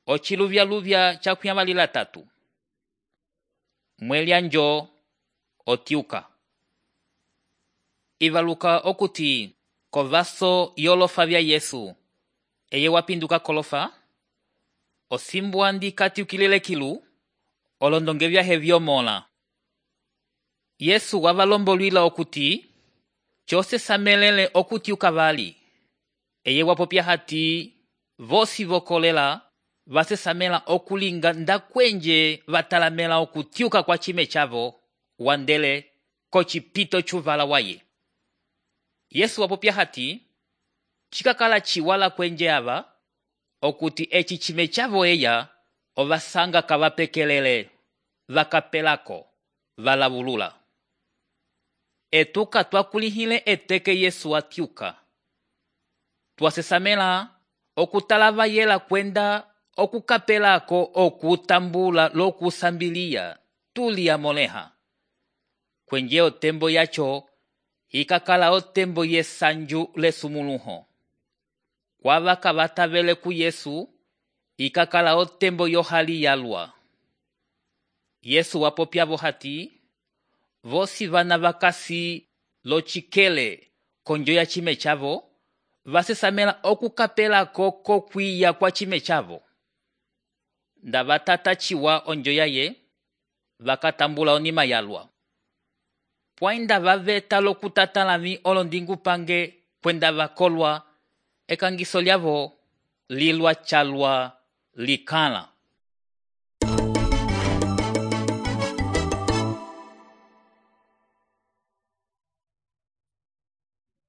Ociluvyaluvya cakuyamalila tatu. Mwelya njo otyuka. Ivaluka okuti kovaso yolofa vya Yesu eye wapinduka kolofa, osimbwa ndi katyukilile kilu olondonge vyahe vyomola. Yesu wavalombolwila okuti chose samelele okutyuka vali, eye wapopya hati vosi vokolela vasesamela okulinga ndakwenje vatalamela okutyuka kwa chime chavo wandele kocipito chuvala waye. Yesu wapopya hati chikakala chiwala kwenje ava okuti eci chime chavo eya ovasanga kavapekelele vakapelako valavulula. Etuka twakulihile eteke Yesu atyuka. Twasesamela okutalava yela kwenda okukapelako okutambula lokusambilia tuli amoleha. Kwenje otembo yacho ikakala otembo yesanju lesumuluho. Kwava kavatavele ku Yesu ikakala otembo yohali yalwa. Yesu wapopyavo hati vosi vana vakasi lochikele konjo ya chime chavo vasesamela okukapelako kokwiya kwa chime chavo. Nda vatata chiwa onjo yaye vakatambula onima yalwa. Pwainda vaveta lokutatalami olondingu pange kwenda vakolwa ekangiso lyavo lilwa chalwa likala.